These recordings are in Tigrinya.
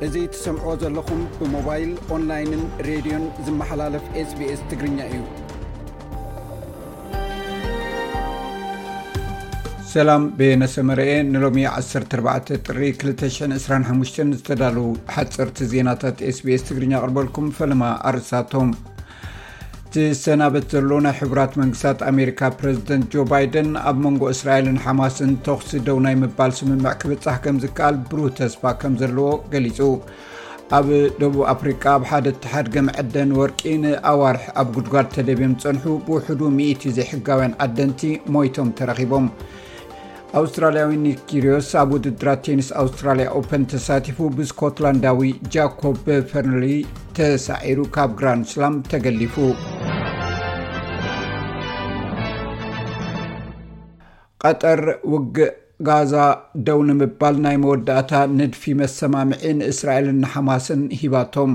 እዚ ትሰምዕዎ ዘለኹም ብሞባይል፣ ኦንላይንን ሬድዮን ዝመሓላለፍ ኤስቢኤስ ትግርኛ እዩ። ሰላም፣ በየነ ሰመረኤ። ንሎሚ ዓሰርተ ኣርባዕተ ጥሪ ክልተ ሽሕን ዕስራን ሓሙሽተን ዝተዳለዉ ሓፀርቲ ዜናታት ኤስቢኤስ ትግርኛ ኣቕርበልኩም። ፈለማ ኣርእስታቶም። ዝሰናበት ዘሎ ናይ ሕቡራት መንግስታት ኣሜሪካ ፕረዚደንት ጆ ባይደን ኣብ መንጎ እስራኤልን ሓማስን ተኹሲ ደው ናይ ምባል ስምምዕ ክብጻሕ ከም ዝከኣል ብሩህ ተስፋ ከም ዘለዎ ገሊጹ። ኣብ ደቡብ ኣፍሪቃ ኣብ ሓደ እተሓድገ መዐደኒ ወርቂ ንኣዋርሕ ኣብ ጉድጓድ ተደብዮም ዝጸንሑ ብውሕዱ ሚእቲ ዘይሕጋውያን ዓደንቲ ሞይቶም ተረኺቦም። ኣውስትራልያዊ ኒክ ኪርዮስ ኣብ ውድድራት ቴኒስ ኣውስትራልያ ኦፐን ተሳቲፉ ብስኮትላንዳዊ ጃኮብ ፈርንሊ ተሳዒሩ ካብ ግራንድ ስላም ተገሊፉ። ቀጠር ውግእ ጋዛ ደው ንምባል ናይ መወዳእታ ንድፊ መሰማምዒ ንእስራኤልን ንሓማስን ሂባቶም።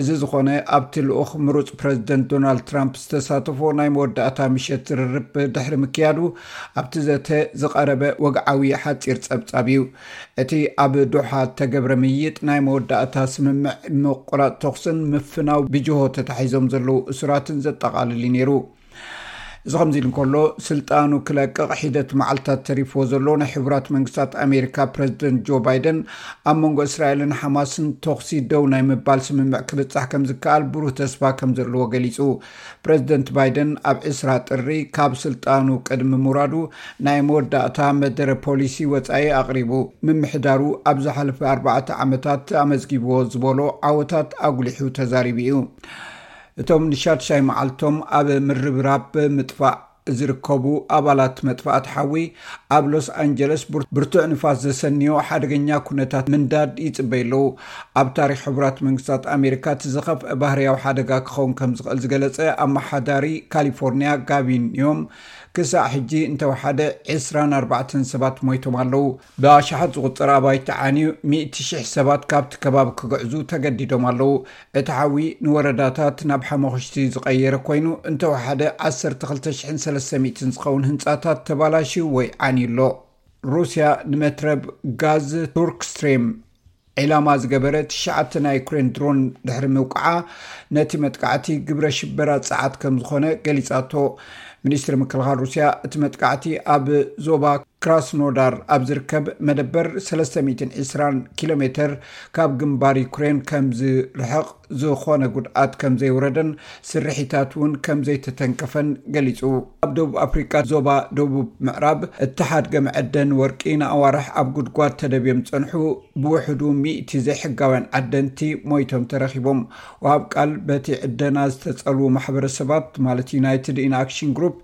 እዚ ዝኾነ ኣብቲ ልኡኽ ምሩጽ ፕረዚደንት ዶናልድ ትራምፕ ዝተሳተፎ ናይ መወዳእታ ምሸት ዝርርብ ድሕሪ ምክያዱ ኣብቲ ዘተ ዝቐረበ ወግዓዊ ሓጺር ጸብጻብ እዩ። እቲ ኣብ ዶሓ እተገብረ ምይይጥ ናይ መወዳእታ ስምምዕ ምቁራጽ ተኹስን ምፍናው ብጅሆ ተታሒዞም ዘለዉ እሱራትን ዘጠቓልል እዩ ነይሩ። እዚ ከምዚ ኢሉ እንከሎ፣ ስልጣኑ ክለቅቕ ሒደት መዓልታት ተሪፍዎ ዘሎ ናይ ሕቡራት መንግስታት ኣሜሪካ ፕረዚደንት ጆ ባይደን ኣብ መንጎ እስራኤልን ሓማስን ተኹሲ ደው ናይ ምባል ስምምዕ ክብጻሕ ከም ዝከኣል ብሩህ ተስፋ ከም ዘለዎ ገሊጹ። ፕረዚደንት ባይደን ኣብ ዕስራ ጥሪ ካብ ስልጣኑ ቅድሚ ምውራዱ ናይ መወዳእታ መደረ ፖሊሲ ወጻኢ ኣቕሪቡ። ምምሕዳሩ ኣብ ዝሓለፈ ኣርባዕተ ዓመታት ኣመዝጊብዎ ዝበሎ ዓወታት ኣጉሊሑ ተዛሪቡ እዩ። እቶም ንሻድሻይ መዓልቶም ኣብ ምርብራብ ምጥፋእ ዝርከቡ ኣባላት መጥፋእቲ ሓዊ ኣብ ሎስ ኣንጀለስ ብር-፣ ብርቱዕ ንፋስ ዘሰንዮ ሓደገኛ ኩነታት ምንዳድ ይጽበዩ ኣለዉ። ኣብ ታሪኽ ሕቡራት መንግስታት ኣሜሪካ እቲ ዝኸፍአ ባህርያዊ ሓደጋ ክኸውን ከም ዝኽእል ዝገለጸ ኣመሓዳሪ ካሊፎርኒያ ጋቪን ኒዮም፣ ክሳዕ ሕጂ እንተወሓደ ዕስራን ኣርባዕተን ሰባት ሞይቶም ኣለዉ። ብኣሽሓት ዝቑጸር ኣባይቲ ዓንዩ፣ ሚእቲ ሽሕ ሰባት ካብቲ ከባቢ ክግዕዙ ተገዲዶም ኣለዉ። እቲ ሓዊ ንወረዳታት ናብ ሓመኹሽቲ ዝቐየረ ኮይኑ፣ እንተወሓደ ዓሰርተ ክልተ ሽሕን ሰለስተ ሚእትን ዝኸውን ህንጻታት ተባላሽዩ ወይ ዓንዩ ኣሎ። ሩስያ ንመትረብ ጋዝ ቱርክ ስትሪም ዒላማ ዝገበረ ትሽዓተ ናይ ዩክሬን ድሮን ድሕሪ ምውቃዓ፣ ነቲ መጥቃዕቲ ግብረ ሽበራ ጸዓት ከም ዝኾነ ገሊጻቶ። ሚኒስትሪ ምክልኻል ሩስያ፣ እቲ መጥቃዕቲ ኣብ ዞባ ክራስኖዳር ኣብ ዝርከብ መደበር ሰለስተ ሚእትን ዕስራን ኪሎ ሜተር ካብ ግንባር ዩክሬን ከም ዝርሕቕ፣ ዝኾነ ጉድኣት ከም ዘይወረደን ስርሒታት እውን ከም ዘይተተንከፈን ገሊጹ። ኣብ ደቡብ ኣፍሪቃ ዞባ ደቡብ ምዕራብ እተሓድገ መዐደኒ ወርቂ ንኣዋርሕ ኣብ ጉድጓድ ተደብዮም ዝጸንሑ ብውሕዱ ሚእቲ ዘይሕጋውያን ዓደንቲ ሞይቶም ተረኺቦም። ወሃብ ቃል በቲ ዕደና ዝተጸልዉ ማሕበረሰባት ማለት ዩናይትድ ኢን ኣክሽን ግሩፕ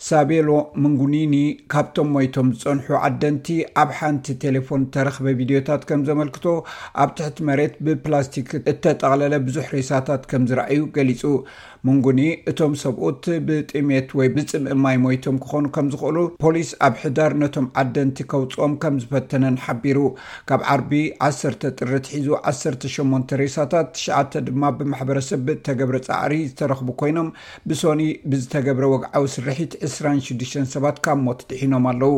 ሳቤሎ ምንጉኒኒ ካብቶም ሞይቶም ዝጸንሑ ዓደንቲ ኣብ ሓንቲ ቴሌፎን ተረኽበ ቪድዮታት ከም ዘመልክቶ፣ ኣብ ትሕቲ መሬት ብፕላስቲክ እተጠቕለለ ብዙሕ ሬሳታት ከም ዝረኣዩ ገሊጹ። ምንጉኒ፣ እቶም ሰብኡት ብጥሜት ወይ ብጽምኢ ማይ ሞይቶም ክኾኑ ከም ዝኽእሉ ፖሊስ ኣብ ሕዳር ነቶም ዓደንቲ ከውጽኦም ከም ዝፈተነን ሓቢሩ። ካብ ዓርቢ ዓሰርተ ጥሪ ኣትሒዙ ዓሰርተ ሸሞንተ ሬሳታት፣ ትሽዓተ ድማ ብማሕበረሰብ ብእተገብረ ጻዕሪ ዝተረኽቡ ኮይኖም፣ ብሶኒ ብዝተገብረ ወግዓዊ ስርሒት ዕስራን ሽዱሽተን ሰባት ካብ ሞት ድሒኖም ኣለዉ።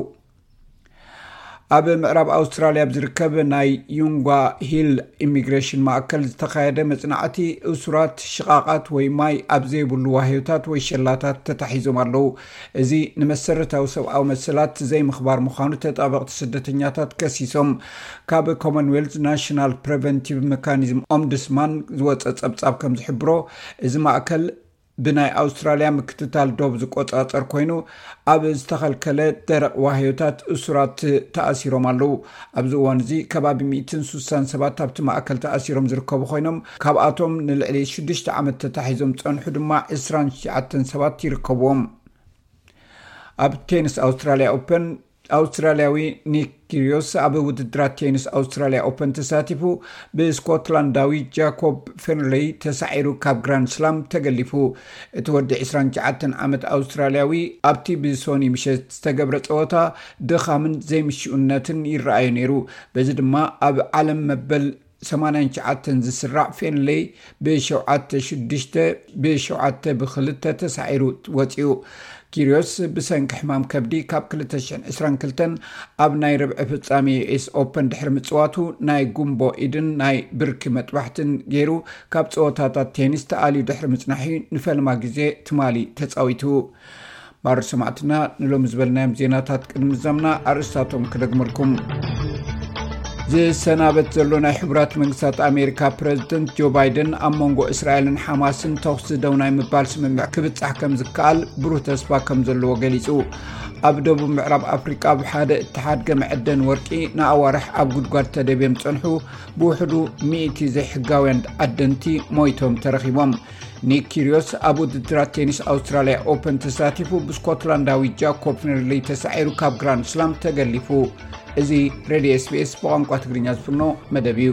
ኣብ ምዕራብ ኣውስትራልያ ኣብ ዝርከብ ናይ ዩንጓ ሂል ኢሚግሬሽን ማእከል ዝተኻየደ መጽናዕቲ፣ እሱራት ሽቓቓት ወይ ማይ ኣብ ዘይብሉ ዋህዮታት ወይ ሸላታት ተታሒዞም ኣለዉ። እዚ ንመሰረታዊ ሰብኣዊ መሰላት ዘይምኽባር ምዃኑ ተጣበቕቲ ስደተኛታት ከሲሶም። ካብ ኮመንዌልዝ ናሽናል ፕሪቨንቲቭ መካኒዝም ኦምቡድስማን ዝወጸ ጸብጻብ ከም ዝሕብሮ፣ እዚ ማእከል ብናይ ኣውስትራልያ ምክትታል ዶብ ዝቆጻጸር ኮይኑ፣ ኣብ ዝተኸልከለ ደረቕ ዋህዮታት እሱራት ተኣሲሮም ኣለዉ። ኣብዚ እዋን እዚ ከባቢ ሚእትን ስሳን ሰባት ኣብቲ ማእከል ተኣሲሮም ዝርከቡ ኮይኖም፣ ካብኣቶም ንልዕሊ ሽዱሽተ ዓመት ተታሒዞም ዝጸንሑ ድማ ዕስራን ትሽዓተን ሰባት ይርከብዎም። ኣብ ቴኒስ ኣውስትራልያ ኦፐን፣ ኣውስትራልያዊ ኒክ ኪርዮስ ኣብ ውድድራት ቴኒስ ኣውስትራልያ ኦፐን ተሳቲፉ ብስኮትላንዳዊ ጃኮብ ፌርንሌይ ተሳዒሩ ካብ ግራንድ ስላም ተገሊፉ። እቲ ወዲ ዕስራን ትሽዓተን ዓመት ኣውስትራልያዊ ኣብቲ ብሶኒ ምሸት ዝተገብረ ጸወታ ድኻምን ዘይምሽኡነትን ይረኣዮ ነይሩ። በዚ ድማ ኣብ ዓለም መበል ሰማንያን ትሽዓተን ዝስራዕ ፌንሌይ ብሸውዓተ ሽዱሽተ፣ ብሸውዓተ ብክልተ ተሳዒሩ ወፂኡ። ኪርዮስ ብሰንኪ ሕማም ከብዲ ካብ ክልተ ሽሕን ዕስራን ክልተን ኣብ ናይ ርብዒ ፍጻሜ ዩ ኤስ ኦፐን ድሕሪ ምጽዋቱ፣ ናይ ጉምቦ ኢድን ናይ ብርኪ መጥባሕትን ገይሩ ካብ ጸወታታት ቴኒስ ተኣልዩ ድሕሪ ምጽናሑ ንፈልማ ግዜ ትማሊ ተጻዊቱ። ማር ሰማዕትና፣ ንሎሚ ዝበልናዮም ዜናታት ቅድሚ ምዛምና ኣርእስታቶም ክደግመልኩም። ዝሰናበት ዘሎ ናይ ሕቡራት መንግስታት ኣሜሪካ ፕረዚደንት ጆ ባይደን፣ ኣብ መንጎ እስራኤልን ሓማስን ተኹሲ ደው ናይ ምባል ስምምዕ ክብጻሕ ከም ዝከኣል ብሩህ ተስፋ ከም ዘለዎ ገሊጹ። ኣብ ደቡብ ምዕራብ ኣፍሪቃ፣ ኣብ ሓደ እተሓድገ መዐደን ወርቂ ንኣዋርሕ ኣብ ጉድጓድ ተደብዮም ዝጸንሑ ብውሕዱ ሚእቲ ዘይሕጋውያን ዓደንቲ ሞይቶም ተረኺቦም። ኒክ ኪርዮስ ኣብ ውድድራት ቴኒስ ኣውስትራልያ ኦፐን ተሳቲፉ፣ ብስኮትላንዳዊ ጃኮብ ፌንሌይ ተሳዒሩ ካብ ግራንድ ስላም ተገሊፉ። እዚ ሬድዮ ኤስ ቢ ኤስ ብቋንቋ ትግርኛ ዝፍኖ መደብ እዩ።